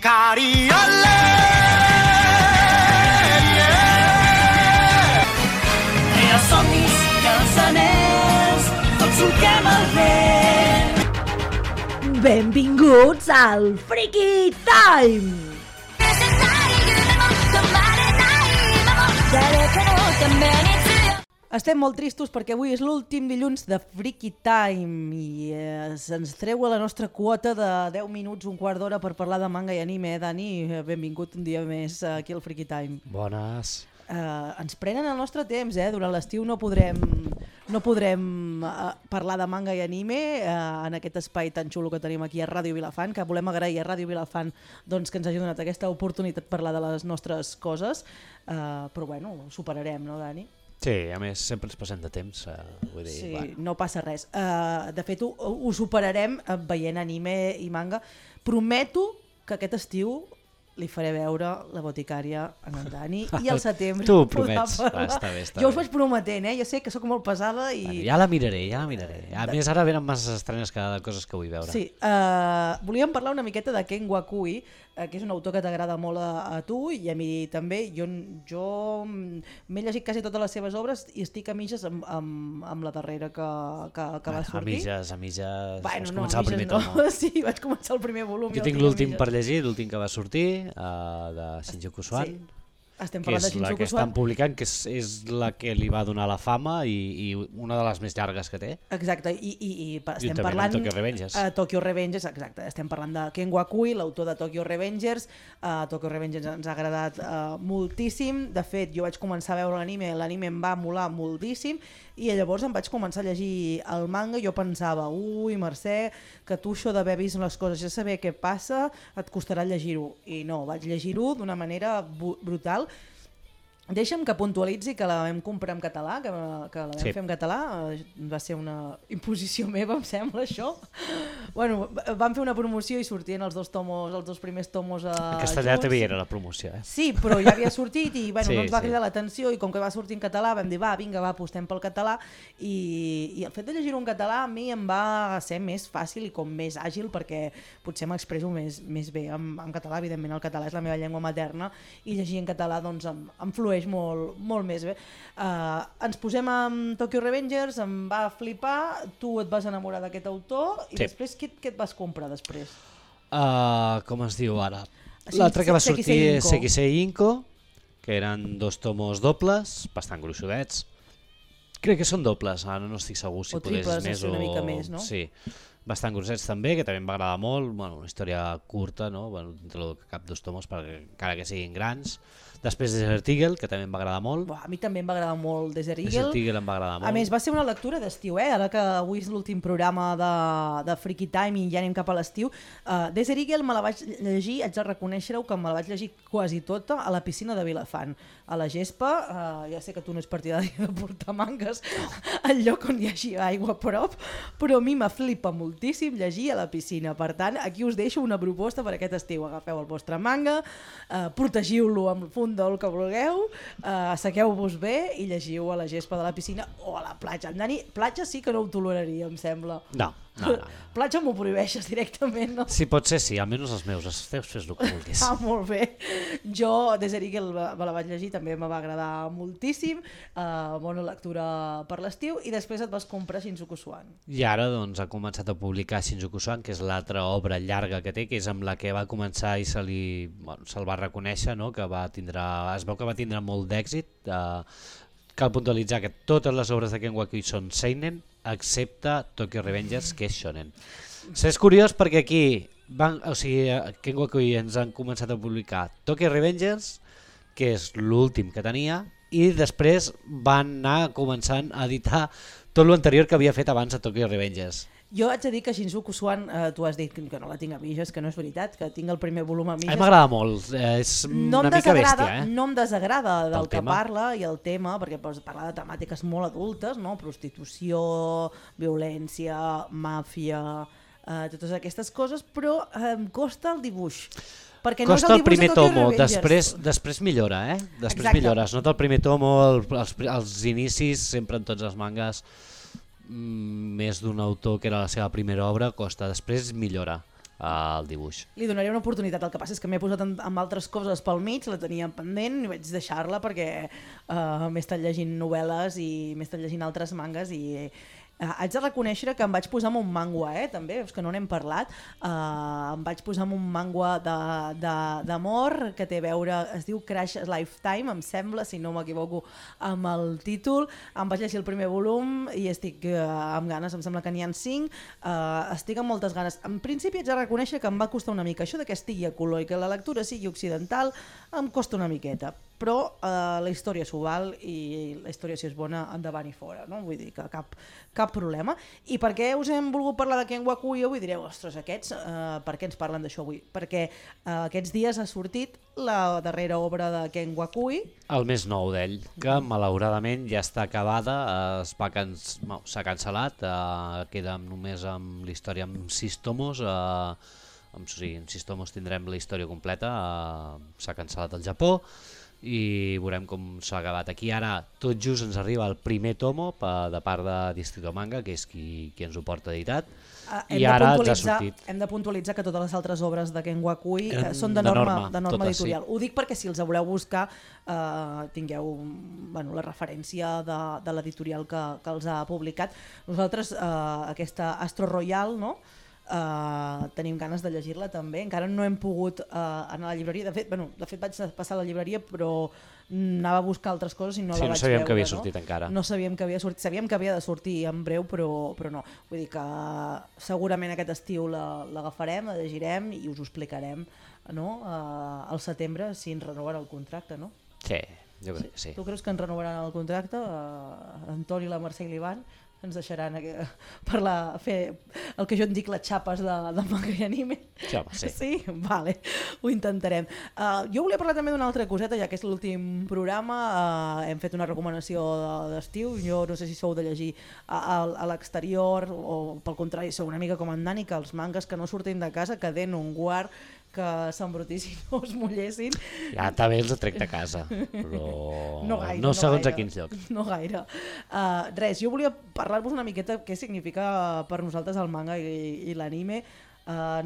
Cariole, els somnis i els anells, tots solquem el vent. Benvinguts al Freaky Time! Estem molt tristos perquè avui és l'últim dilluns de Freaky Time i se'ns treu la nostra quota de 10 minuts, un quart d'hora per parlar de manga i anime. Dani, benvingut un dia més aquí al Freaky Time. Bones. Ens prenen el nostre temps, durant l'estiu no podrem parlar de manga i anime en aquest espai tan xulo que tenim aquí a Ràdio Vilafant, que volem agrair a Ràdio Vilafant doncs, que ens hagi donat aquesta oportunitat de parlar de les nostres coses, però bueno, ho superarem, no, Dani? Sí, a més sempre ens passem de temps, vull dir... Sí, bueno. no passa res. De fet, ho superarem veient anime i manga. Prometo que aquest estiu li faré veure La boticària en en Dani i al setembre... Tu ho promets. Està bé. Jo us vaig prometent, jo sé que sóc molt pesada i... Bueno, ja la miraré. A més, ara venen masses estrenes cada coses que vull veure. Sí, volíem parlar una miqueta de Ken Wakui, que és un autor que t'agrada molt a tu i a mi també. Jo m'he llegit quasi totes les seves obres i estic a mitges amb la darrera que va sortir. A mitges... Bueno, vas començar el primer tomo. No. Sí, vaig començar el primer volum. Jo tinc l'últim per llegir, l'últim que va sortir, de Shinjuku Swan. Sí. Estem Que parlant de és la Shinjuku que Swan. estan publicant, que és la que li va donar la fama i una de les més llargues que té. Exacte, i estem Juntament parlant... amb Tokyo Revengers. Tokyo Revengers, exacte. Estem parlant de Ken Wakui, l'autor de Tokyo Revengers. Tokyo Revengers ens ha agradat moltíssim. De fet, jo vaig començar a veure l'anime em va molar moltíssim, i llavors em vaig començar a llegir el manga i jo pensava, ui, Mercè, que tu això d'haver vist les coses i saber què passa et costarà llegir-ho. I no, vaig llegir-ho d'una manera brutal. Deixa'm que puntualitzi que la vam comprar en català, que la vam fer en català, va ser una imposició meva, em sembla, això. Bueno, vam fer una promoció i sortien els dos primers tomos En castellà junts. també era la promoció, Sí, però ja havia sortit i bueno, Sí, no ens va sí. cridar l'atenció, i com que va sortir en català vam dir, vinga, apostem pel català, i el fet de llegir-ho en català a mi em va ser més fàcil i com més àgil, perquè potser m'expresso més bé en català. Evidentment el català és la meva llengua materna i llegir en català doncs em flueix molt més bé. Ens posem amb Tokyo Revengers, em va flipar, tu et vas enamorar d'aquest autor i Sí. després què et vas comprar després? Com es diu ara? L'altre que va sortir és Sekisei Inko, que eren 2 tomos dobles, bastant gruixudets. Crec que són dobles, ara no estic segur si O podés triples, més una mica més, no? Sí, bastant grossets també, que també em va agradar molt, bueno, una història curta, no? Bueno, entre el cap 2 tomos, perquè encara que siguin grans. Després Desert Eagle, que també em va agradar molt. A mi també em va agradar molt Desert Eagle. Desert Eagle em va agradar molt. A més, va ser una lectura d'estiu, ara que avui és l'últim programa de Freaky Time i ja anem cap a l'estiu. Desert Eagle me la vaig llegir, haig de reconèixer-ho, que me la vaig llegir quasi tota a la piscina de Vilafant, a la gespa. Ja sé que tu no és partidari de portar mangues al lloc on hi hagi aigua a prop, però a mi me flipa moltíssim llegir a la piscina. Per tant, aquí us deixo una proposta per aquest estiu. Agafeu el vostre manga, protegiu-lo amb el fund del que vulgueu, assequeu-vos bé i llegiu a la gespa de la piscina o a la platja. En Dani, platja sí que no ho toleraria, em sembla. No. Platja m'ho prohibeixes directament, no? Si pot ser, sí, almenys els meus, fes el que vulguis. Molt bé. Jo, Desert Eagle, me la vaig llegir, també me va agradar moltíssim, bona lectura per l'estiu, i després et vas comprar Shinjuku Swan. I ara doncs, ha començat a publicar Shinjuku Swan, que és l'altra obra llarga que té, que és amb la que va començar i se'l va reconèixer, no? Que es veu que va tindre molt d'èxit. Cal puntualitzar que totes les obres de Ken Wakui són seinen, excepte Tokyo Revengers, que és shonen. És curiós perquè aquí Ken Wakui ens han començat a publicar Tokyo Revengers, que és l'últim que tenia, i després van anar començant a editar tot l'anterior que havia fet abans de Tokyo Revengers. Jo haig de dir que Shinjuku Swan, tu has dit que no la tinc a mitges, que no és veritat, que tinc el primer volum a mitges. A mi m'agrada molt, és una mica bèstia. No em desagrada del que tema. parla i el tema, perquè parla de temàtiques molt adultes, no? Prostitució, violència, màfia, totes aquestes coses, però em costa el dibuix. Costa el primer tomo, després millora, Després millora, es nota el primer tomo, els inicis, sempre en tots els mangas, més d'un autor que era la seva primera obra, costa, després millora. el dibuix. Li donaré una oportunitat, el que passa és que m'he posat amb altres coses pel mig, la tenia pendent i vaig deixar-la perquè m'he estat llegint novel·les i m'he estat llegint altres mangas i haig de reconèixer que em vaig posar amb un mangua, també, és que no n'hem parlat, em vaig posar amb un mangua d'amor que té a veure, es diu Crash Lifetime, em sembla, si no m'equivoco amb el títol, em vaig llegir el primer volum i estic amb ganes, em sembla que n'hi ha 5, estic amb moltes ganes. En principi haig de reconèixer que em va costar una mica, això de que estigui a color i que la lectura sigui occidental em costa una miqueta, però la història s'ho val i la història, si és bona, endavant i fora, no? Vull dir que cap problema. I per què us hem volgut parlar de Ken Wakui avui? Direu, ostres, aquests, per què ens parlen d'això avui? Perquè aquests dies ha sortit la darrera obra de Ken Wakui. El més nou d'ell, que malauradament ja està acabada, s'ha cancel·lat, queda només amb la història amb 6 tomos, en 6 tomos tindrem la història completa, s'ha cancel·lat al Japó, i veurem com s'ha acabat aquí. Ara tot just ens arriba el primer tomo de part de Distrito Manga, que és qui ens ho porta editat, i ara ens ha sortit. Hem de puntualitzar que totes les altres obres de Ken Wakui són de norma editorial. Ho dic perquè si els voleu buscar tingueu la referència de l'editorial que els ha publicat. Nosaltres aquesta Astro Royal, no? Tenim ganes de llegir-la també, encara no hem pogut anar a la llibreria, de fet vaig passar a la llibreria però anava a buscar altres coses i no la vaig veure. No sabíem que havia sortit encara. No sabíem que havia sortit, sabíem que havia de sortir en breu però no, vull dir que segurament aquest estiu l'agafarem, la llegirem i us ho explicarem, no? Al setembre si ens renoven el contracte, no? Sí, jo crec que sí. Tu creus que ens renovaran el contracte? Antoni, la Mercè i l'Ivan ens deixaran fer el que jo en dic les xapes de manga i anime. Sí, home, sí. Sí? Vale, ho intentarem. Jo volia parlar també d'una altra coseta, ja que és l'últim programa, hem fet una recomanació d'estiu, jo no sé si sou de llegir a l'exterior o pel contrari sou una mica com en Dani, que els mangas que no surtin de casa que den un guard, que s'embrutissin o es mullessin. Ja també els trec de casa, però no gaire, no segons a quins llocs. No gaire. Res, jo volia parlar-vos una miqueta què significa per nosaltres el manga i l'anime.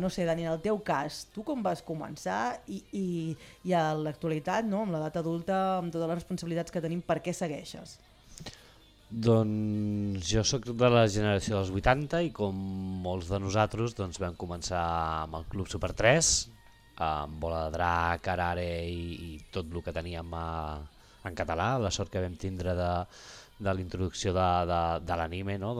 No sé, Dani, en el teu cas, tu com vas començar i a l'actualitat, no? Amb l'edat adulta, amb totes les responsabilitats que tenim, per què segueixes? Doncs jo sóc de la generació dels 80 i com molts de nosaltres vam començar amb el Club Super 3, amb Bola de Drac, Arare i tot el que teníem en català, la sort que vam tindre de la introducció de l'anime, no?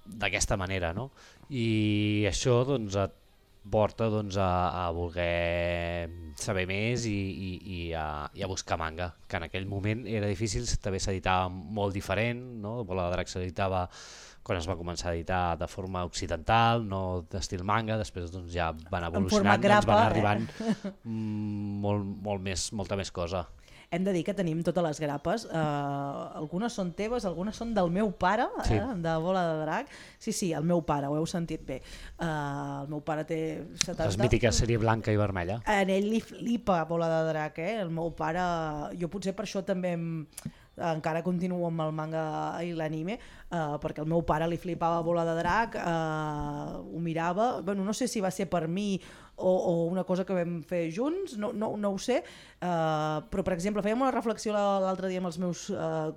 D'aquesta manera, no? I això et porta a voler saber més i a buscar manga, que en aquell moment era difícil, també s'editava molt diferent, no? Bola de Drac s'editava quan es va començar a editar de forma occidental, no d'estil manga, després ja van evolucionant, ens van arribant molta més cosa. Hem de dir que tenim totes les grapes, algunes són teves, algunes són del meu pare, sí. De Bola de Drac. Sí, el meu pare, ho heu sentit bé. El meu pare té 70... Les mítiques sèrie blanca i vermella. En ell li flipa Bola de Drac, el meu pare... Jo potser per això també encara continuo amb el manga i l'anime, perquè el meu pare li flipava Bola de Drac, ho mirava, no sé si va ser per mi o una cosa que vam fer junts, no ho sé, però per exemple fèiem una reflexió l'altre dia amb els meus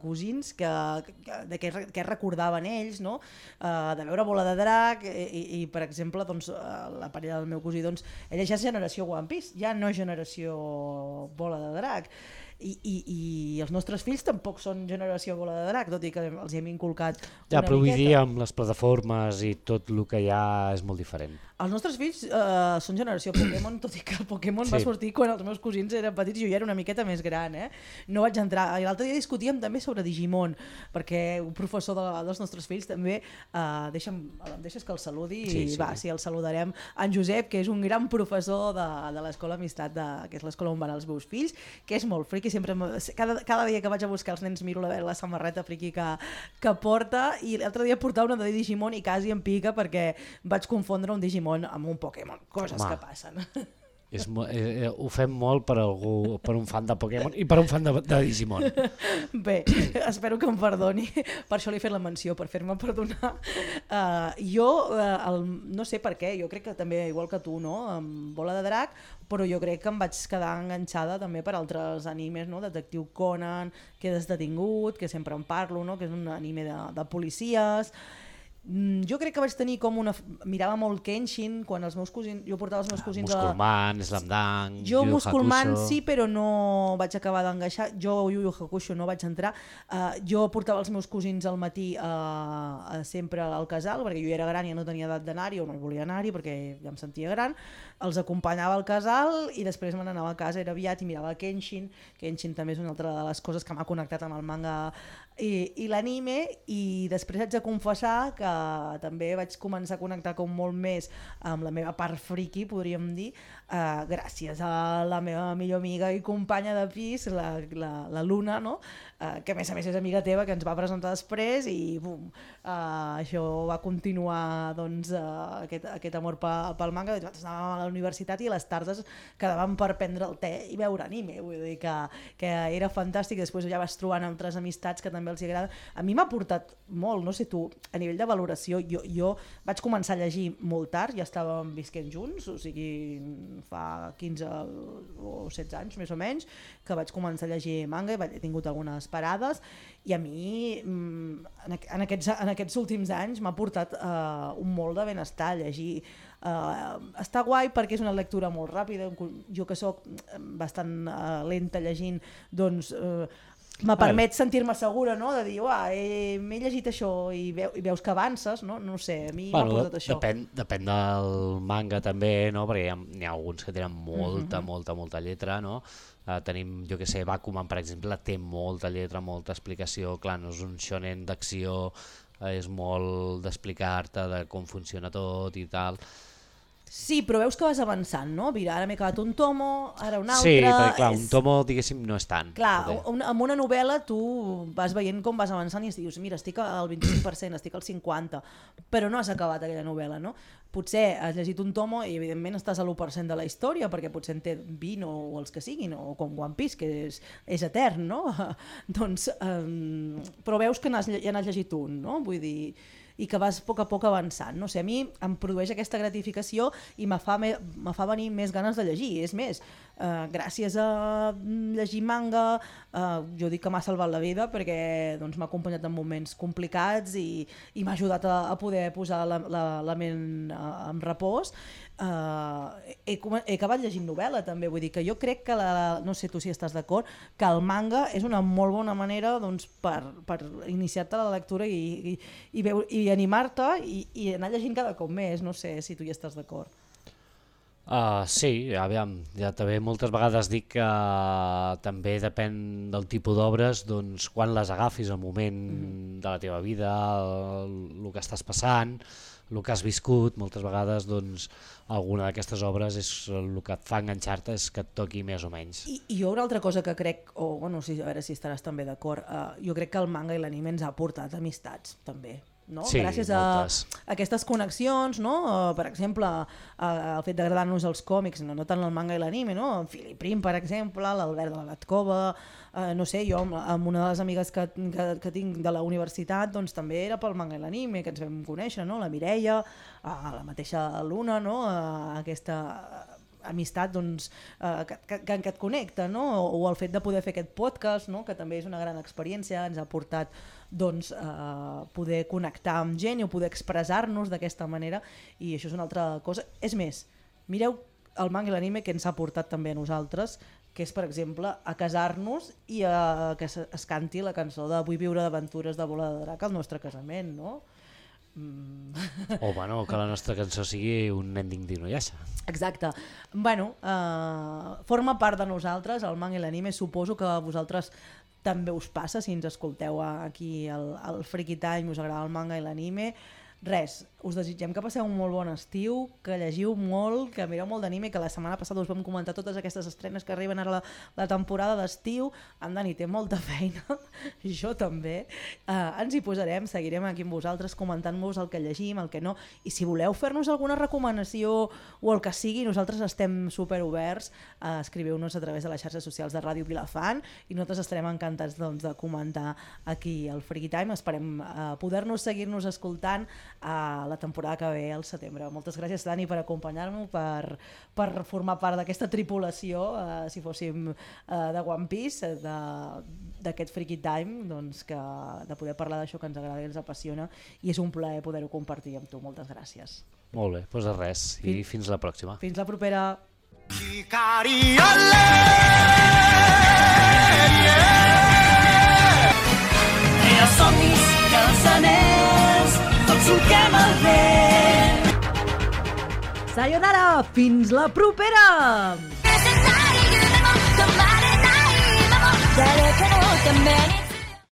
cosins de què recordaven ells, no? De veure Bola de Drac i per exemple la parella del meu cosí, ella ja és generació One Piece, ja no generació Bola de Drac. I els nostres fills tampoc són generació Bola de Drac, tot i que els hem inculcat una miqueta. Però vull dir, amb les plataformes i tot el que hi ha és molt diferent. Els nostres fills són generació Pokémon, tot i que el Pokémon va sortir quan els meus cosins eren petits i jo ja era una miqueta més gran. No vaig entrar. I l'altre dia discutíem també sobre Digimon, perquè un professor dels nostres fills també, deixes que el saludi, sí, el saludarem. En Josep, que és un gran professor de l'Escola Amistat, que és l'escola on van els meus fills, que és molt friqui, cada dia que vaig a buscar els nens miro la samarreta friqui que porta, i l'altre dia portava una de Digimon i quasi em pica perquè vaig confondre un Digimon amb un Pokémon, coses que passen. Ho fem molt per algú, per un fan de Pokémon i per un fan de Digimon. Bé, espero que em perdoni, per això li he fet la menció, per fer-me perdonar. No sé per què, jo crec que també, igual que tu, no? Amb Bola de Drac, però jo crec que em vaig quedar enganxada també per altres animes, no? Detectiu Conan, Quedes detingut, que sempre en parlo, no? Que és un anime de policies. Jo crec que vaig tenir com una... Mirava molt Kenshin quan els meus cosins... Jo portava els meus cosins Musculman, Slam Dunk, Jo Yu Yu Musculman Hakusho. sí, però no vaig acabar d'engaixar. Jo Yu Yu Hakusho no vaig entrar. Jo portava els meus cosins al matí sempre al casal, perquè jo era gran i no tenia edat d'anar-hi, o no volia anar-hi perquè ja em sentia gran. Els acompanyava al casal i després me n'anava a casa, era aviat, i mirava Kenshin. Kenshin també és una altra de les coses que m'ha connectat amb el manga i l'anime, i després haig de confessar que també vaig començar a connectar com molt més amb la meva part friki, podríem dir, gràcies a la meva millor amiga i companya de pis, la Luna, no? Que a més és amiga teva, que ens va presentar després, i bum, això va continuar, doncs, aquest amor pel manga. Nosaltres anàvem a la universitat i a les tardes quedàvem per prendre el te i veure anime, vull dir que era fantàstic. Després ja vas trobant altres amistats que també els agrada. A mi m'ha portat molt, no sé tu, a nivell de valoració, jo vaig començar a llegir molt tard, ja estàvem visquent junts, o sigui, fa 15 o 16 anys més o menys, que vaig començar a llegir manga i he tingut algunes parades, i a mi en aquests últims anys m'ha portat un molt de benestar llegir. Està guai perquè és una lectura molt ràpida, jo que soc bastant lenta llegint, doncs me permet sentir-me segura, no? De dir, m'he llegit això, i veus que avances, no? No sé, a mi m'ha portat això. Depèn del manga també, no? Perquè n'hi ha alguns que tenen molta lletra, no? Tenim, jo que sé, Bakuman, per exemple, té molta lletra, molta explicació. Clar, no és un shonen d'acció, és molt d'explicar-te de com funciona tot i tal. Sí, però veus que vas avançant, no? Mira, ara m'he acabat un tomo, ara un altre... Sí, perquè clar, un tomo, diguéssim, no és tant. Clar, amb una novel·la tu vas veient com vas avançant i dius, mira, estic al 25%, estic al 50%, però no has acabat aquella novel·la, no? Potser has llegit un tomo i evidentment estàs a l'1% de la història, perquè potser en té 20 o els que siguin, o com One Piece, que és etern, no? Doncs, però veus que ja n'has llegit un, no? Vull dir... i que vas a poc avançant. No sé, a mi em produeix aquesta gratificació i me fa venir més ganes de llegir. És més, gràcies a llegir manga, jo dic que m'ha salvat la vida perquè doncs, m'ha acompanyat en moments complicats i m'ha ajudat a poder posar la ment en repòs. He acabat llegint novel·la també, vull dir que jo crec que, no sé tu si estàs d'acord, que el manga és una molt bona manera doncs, per iniciar-te la lectura i animar-te i anar llegint cada cop més, no sé si tu hi estàs d'acord. Sí, aviam, ja també moltes vegades dic que també depèn del tipus d'obres, doncs quan les agafis, el moment de la teva vida, el que estàs passant, el que has viscut, moltes vegades doncs alguna d'aquestes obres és el que et fa enganxar-te, és que et toqui més o menys. I jo una altra cosa que crec, a veure si estaràs també d'acord, jo crec que el manga i l'anime ens ha portat amistats també. No? Sí, gràcies a aquestes connexions, no? Per exemple, el fet d'agradar-nos els còmics, no tant el manga i l'anime, no? En Philip Prim, per exemple, l'Albert de la Gatcova, no sé, jo amb una de les amigues que tinc de la universitat doncs, també era pel manga i l'anime que ens vam conèixer, no? La Mireia, la mateixa Luna, no? Aquesta amistat doncs, que et connecta, no? O el fet de poder fer aquest podcast, no? Que també és una gran experiència, ens ha portat doncs, poder connectar amb gent o poder expressar-nos d'aquesta manera, i això és una altra cosa. És més, mireu el manga i l'anime que ens ha portat també a nosaltres, que és, per exemple, a casar-nos i a que es canti la cançó de Vull viure d'aventures de Bola de Drac al nostre casament, no? O bueno, que la nostra cançó sigui un ending d'Inuyasha. Exacte. Bueno, forma part de nosaltres, el manga i l'anime. Suposo que a vosaltres també us passa, si ens escolteu aquí al Freaky Time, us agrada el manga i l'anime. res, us desitgem que passeu un molt bon estiu, que llegiu molt, que mireu molt d'anime, que la setmana passada us vam comentar totes aquestes estrenes que arriben ara la temporada d'estiu. En Dani té molta feina, jo també. Ens hi posarem, seguirem aquí amb vosaltres comentant-vos el que llegim, el que no, i si voleu fer-nos alguna recomanació o el que sigui, nosaltres estem superoberts. Escriveu-nos a través de les xarxes socials de Ràdio Vilafant i nosaltres estarem encantats de comentar aquí el Freaky Time. Esperem poder-nos seguir-nos escoltant a la temporada que ve al setembre. Moltes gràcies, Dani, per acompanyar-me, per formar part d'aquesta tripulació, si fóssim de One Piece, d'aquest Freaky Time, doncs de poder parlar d'això que ens agrada i ens apassiona, i és un plaer poder-ho compartir amb tu. Moltes gràcies. Molt bé, doncs res, i fins la pròxima. Fins la propera. Els somnis i els anells, tots solquem el vent. Sayonara, fins la propera! 誰かのために